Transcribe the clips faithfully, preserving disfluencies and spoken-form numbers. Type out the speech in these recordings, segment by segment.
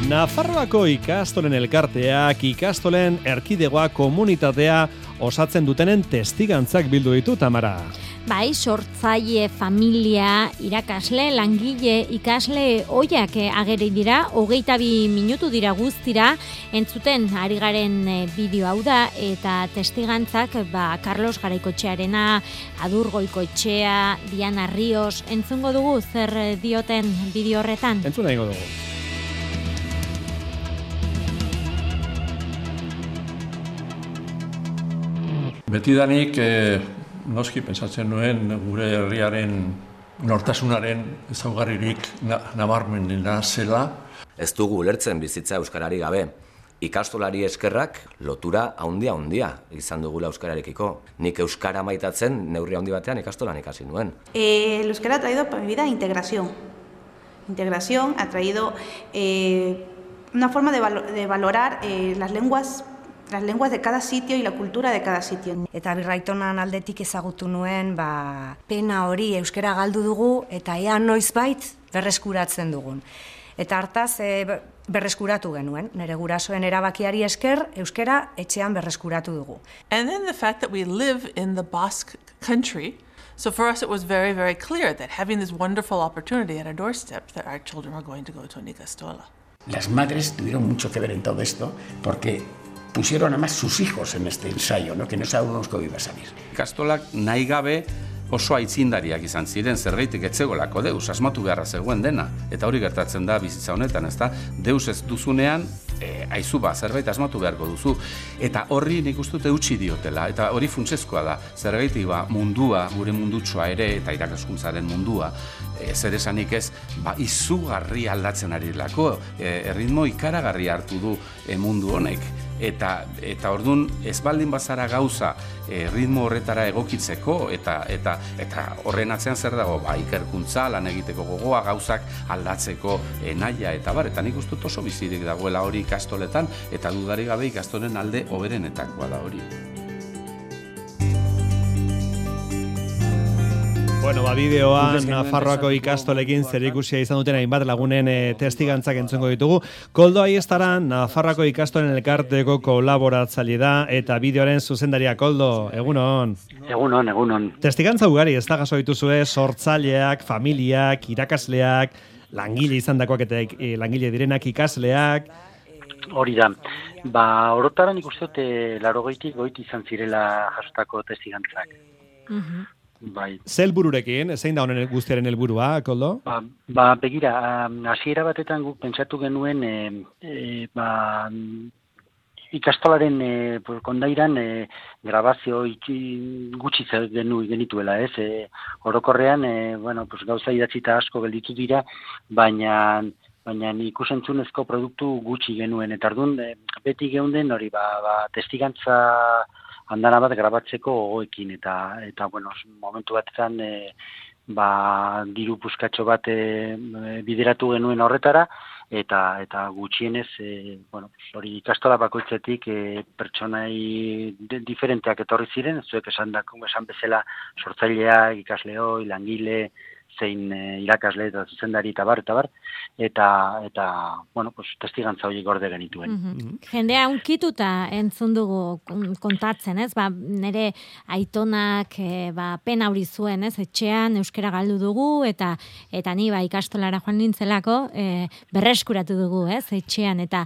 Nafarroako ikastolen elkarteak, ikastolen erkidegoa komunitatea osatzen dutenen testigantzak bildu ditu, Tamara. Bai, sortzaile, familia, irakasle, langile, ikasle oiak ageri dira, hogeita bi minutu dira guztira, entzuten ari garen bideo hau da, eta testigantzak, ba, Carlos Garaikotxearena, Adur Goikoetxea, Diana Rios, entzungo dugu zer dioten bideo horretan? Entzuna ingo dugu. Betidanik, eh, noski pentsatzen nuen gure herriaren nortasunaren ezaugarririk na, nabarmenena zela. Ez dugu ulertzen bizitza euskarari gabe. Ikastolari eskerrak lotura handia handia izan dugula euskararekiko. Nik euskara maitatzen neurri handi batean ikastolan ikasi nuen. Eh, el euskara ha traído para mi vida integración. Integración ha traído eh, una forma de, valo de valorar eh, las lenguas las lenguas de cada sitio y la cultura de cada sitio. Eta birraitonan aldetik ezagutu nuen, ba, pena hori euskara galdu dugu eta ea noizbait berreskuratzen dugun. Eta hartaz e, berreskuratu genuen, nire gurasoen erabakiari esker euskara etxean berreskuratu dugu. And then the fact that we live in the Basque country, so for us it was very, very clear that having this wonderful opportunity at our doorstep that our children were going to go to an ikastola. Las madres tuvieron mucho que ver en todo esto porque pusieron además sus hijos en este ensayo, ¿no? Que no sabíamos cómo iba a salir. Ikastolak nahi gabe oso aitzindariak izan ziren, zergaitik etzegolako deus, asmatu beharra zegoen dena. Eta hori gertatzen da bizitza honetan, ezta? Deus ez duzunean, e, aizu ba, zerbait asmatu beharko duzu. Eta horri nik uste dute utzi diotela, eta hori funtsezkoa da. Zergaitik ba, mundua, gure mundutsua ere, eta irakaskuntzaren mundua, e, zer esanik ez, ba, izugarri aldatzen ari lako, e, erritmo ikaragarri hartu du e, mundu honek. Eta, eta ordun ez baldin bazara gauza e, ritmo horretara egokitzeko eta eta eta horren atzean zer dago, ba, ikerkuntza, lan egiteko gogoa, gauzak aldatzeko e, nahia eta bar, eta nik uste dut oso bizirik dagoela hori ikastoletan, eta dudarik gabe ikastolen alde hoberenetakoa da hori. Bueno, ba, bideoan Nafarroako ikastolekin zerikusia izan duten hainbat lagunen e, testigantzak entzungo ditugu. Koldo Aiestaran, Nafarroako ikastolen elkarteko kolaboratzaile da, eta bideoaren zuzendaria. Koldo, egunon. Egunon, egunon. Testigantza ugari, ez da gaso dituzue, sortzaileak, familiak, irakasleak, langile izandakoak eta e, langile direnak ikasleak. Hori da. Ba, orotaran ikustote larogeitik goiti izan zirela jasotako testigantzak. Uh-huh. Bai. Zer bururekin, zein da honen guztiaren helburua, Koldo? Ba, ba begira, hasiera batetan guk pentsatu genuen e, e, ba, ikastolaren e, kondairan e, grabazio itxi, gutxi genu genituela, ez? E, orokorrean, e, bueno, pues, gauza idatzita asko gelditu dira, baina baina ikusentzunezko produktu gutxi genuen, eta orduan e, beti geunden hori, ba, ba, testigantza andana bat grabatzeko gogoekin, eta, eta bueno, momentu batetan e, ba, diru puskatxo bat e, bideratu genuen horretara, eta eta gutxienez, e, bueno, hori ikastola bakoitzetik e, pertsonai de, diferenteak etorri ziren, zuek esan, dako, esan bezala sortzaileak, ikasleo, langile, zein e, irakasle eta zuzendari eta bar, eta bar, eta, eta bueno, pues, testigantza horiek gorde genituen. Mm-hmm. Jendea unkituta entzun dugu kontatzen, ez? Ba, nire aitonak e, ba, pena hori zuen, ez? Etxean euskara galdu dugu, eta eta ni ba, ikastolara joan nintzelako e, berreskuratu dugu, ez? Etxean, eta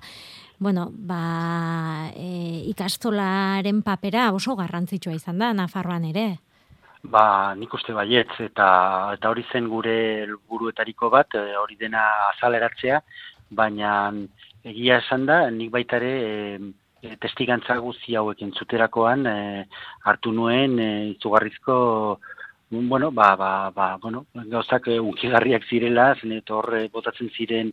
bueno, ba, e, ikastolaren papera oso garrantzitsua izan da, Nafarroan ere. Ba, nik uste baietz, eta eta hori zen gure helburuetariko bat, hori dena azaleratzea, baina egia esan da, nik baita ere e, testigantza guzti hauek entzuterakoan e, hartu nuen e, izugarrizko, bueno, ba, ba, ba, bueno, gauzak e, unkigarriak zirela, zen eta horre botatzen ziren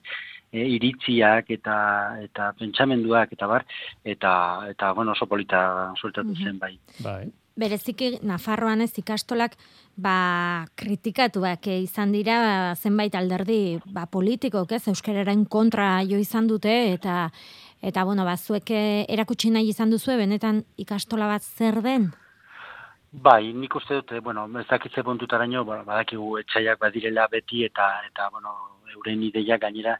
e, iritziak eta eta pentsamenduak eta bar, eta, eta bueno, oso polita sueltatu zen bai. Bai. Bereziki Nafarroan ez ikastolak ba, kritikatuak izan dira ba, zenbait alderdi ba, politikok, ez, euskararen kontra jo izan dute, eta eta bueno, ba, zuek erakutsi nahi izan duzue, benetan ikastola bat zer den? Bai, nik uste dut, bueno, ez dakitze puntutaraino, badakigu etxaiak badirela beti eta, eta bueno, euren ideiak gainera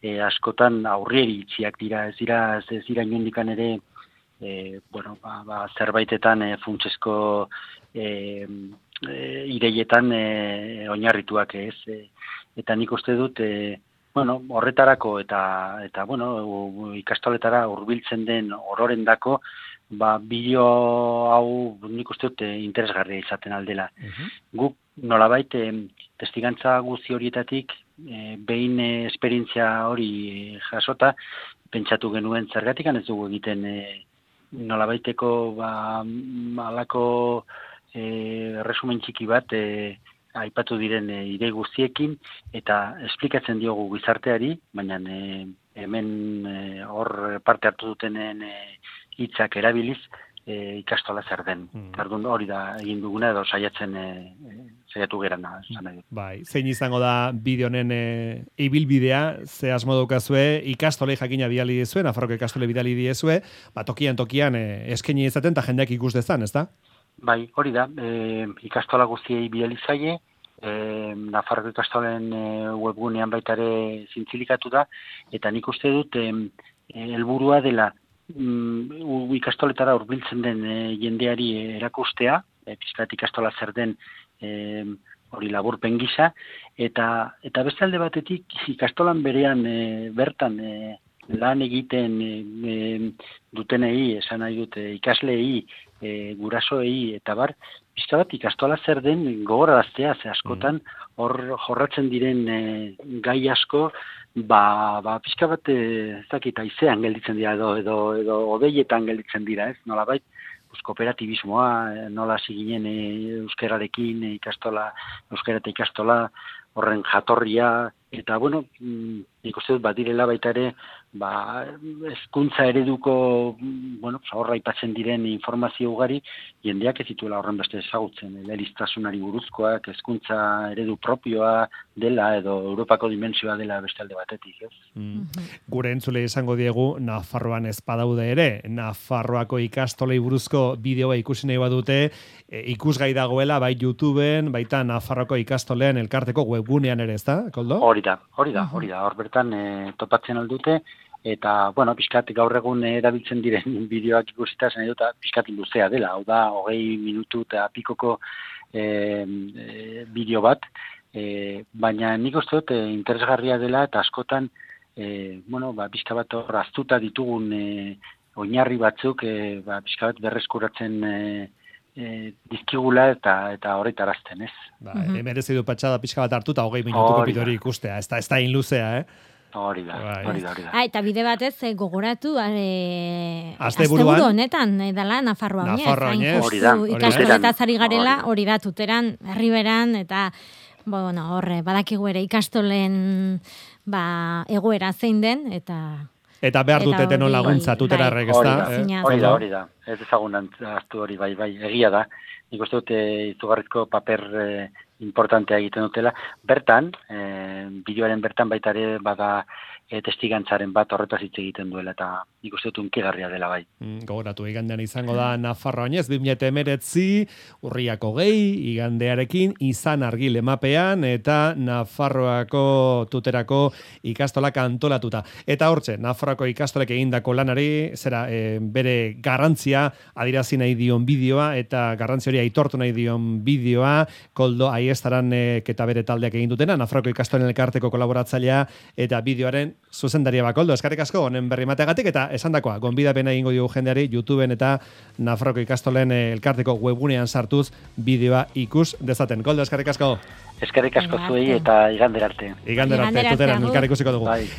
e, askotan aurrieri itxiak dira, ez dira, ez dira inondikan ere, e, bueno, ba, ba, zerbaitetan e, funtsesko e, e, ideietan e, oinarrituak ez, e, eta nik uste dut, e, bueno, horretarako eta, eta bueno, ikastoletara hurbiltzen den ororendako, ba, bideo hau nik uste dut interesgarria izaten aldela. Uh-huh. Guk nolabait testigantza guzti horietatik e, behin e, esperientzia hori e, jasota, pentsatu genuen zergatik ez dugu egiten e, nolabaiteko ba, alako e, resumen txiki bat e, aipatu diren e, idei guztiekin eta esplikatzen diogu gizarteari, baina e, hemen e, hor parte hartu dutenen e, hitzak erabiliz e, ikastola zer den. Mm. Ordun hori da egin duguna edo saiatzen e, saiatu gerana. Bai, zein izango da bideo honen e, ibilbidea, ze asmo daukazue, ikastolei jakina bidali diezue, Nafarroko ikastole bidali diezue, ba tokian tokian e, eskaini izaten ta jendeak ikus dezan, ezta? Bai, hori da, e, ikastola guztiei bidali zaie, e, Nafarroko ikastolen e, webgunean baita ere zintzilikatu da, eta nik uste dut e, helburua dela Mm, ikastoletara hurbiltzen den e, jendeari erakustea, e, pizkat ikastola zer den e, hori laburpen gisa, eta, eta beste alde batetik ikastolan berean e, bertan e, lan egiten e, e, dutenei, esan nahi dute ikasleei, e, gurasoei, eta bar, pizka bat ikastola zer den gogoraraztea, ze askotan hor jorratzen diren e, gai asko, ba, ba pizka bat ez dakit haizean gelditzen dira edo edo edo odeietan gelditzen dira, ez? Nolabait, pues kooperatibismoa, nola hasi ginen e, euskararekin, e, ikastola, euskara eta ikastola, horren jatorria, eta bueno, nik uste dut badirela baita ere, ba, hezkuntza ereduko, bueno, horra aipatzen diren informazio ugari, jendeak ez dituela horren beste ezagutzen, eleaniztasunari buruzkoak, hezkuntza eredu propioa dela, edo Europako dimentsioa dela beste alde batetik, ez? Mm. Gure entzule izango diegu, Nafarroan ez badaude ere, Nafarroako ikastolei buruzko bideoa ikusi nahi badute, e, ikusgai dagoela, bai YouTubeen, baita Nafarroako ikastoleen elkarteko webgunean ere, ez da, Koldo? Hori da, hori da, hori da, hor bertan e, topatzen aldute, eta, bueno, pixkat gaur egun erabiltzen diren bideoak ikusita zen edota pixkat luzea dela, hau da, hogei minutu eta pikoko e, e, bideo bat, e, baina nik uste dut e, interesgarria dela eta askotan, e, bueno, ba, pixka bat hor aztuta ditugun e, oinarri batzuk, e, ba, pixka bat berreskuratzen e, e, dizkigula eta eta horretarazten, ez? Ba, mm-hmm. Merezi du patxada pixka bat hartuta hogei minutuko bidori ikustea, ez da, ez da inluzea, eh? Hori da, hori da, hori da. Ah, eta bide batez e, gogoratu e, asteburu honetan e, dala Nafarroa oinez. Nafarroa oinez. Hori da. Ikastoletaz ari garela, hori da, tuteran, herriberan, eta bueno, horre, badakigu ere ikastolen ba, egoera zein den, eta... Eta behar duteten nola laguntza tuterarrek, ez da? Hori da, hori da. Ez ezagun aztu hori, bai, bai, egia da. Nik uste dute izugarrizko paper eh, importantea egiten dutela. Bertan, eh, bideoaren bertan baita ere bada eh, testigantzaren bat horretaz hitz egiten duela, eta nik uste dut unkigarria dela bai. Mm, gogoratu, igandean izango da Nafarroa oinez, bi mila hemeretzi, urriako gehi, igandearekin, izan argil emapean, eta Nafarroako tuterako ikastolak antolatuta. Eta hortxe, Nafarroako ikastolek egindako lanari, zera, e, bere garrantzia adirazi nahi dion bideoa, eta garrantzi hori aitortu nahi dion bideoa, Koldo Aiestaran e, eta bere taldeak egin dutena, Nafarroako ikastolen elkarteko kolaboratzailea, eta bideoaren zuzendaria Koldo, eskerrik asko, honen berri mateagatik, eta esandakoa, gonbidapena egingo diogu jendeari, YouTubeen eta Nafarroako ikastolen elkarteko webgunean sartuz bideoa ikus dezaten. Koldo, eskerrik asko. Eskerrik asko zuei eta igander arte. Igander arte, tuteran, elkar ikusiko dugu. Bai.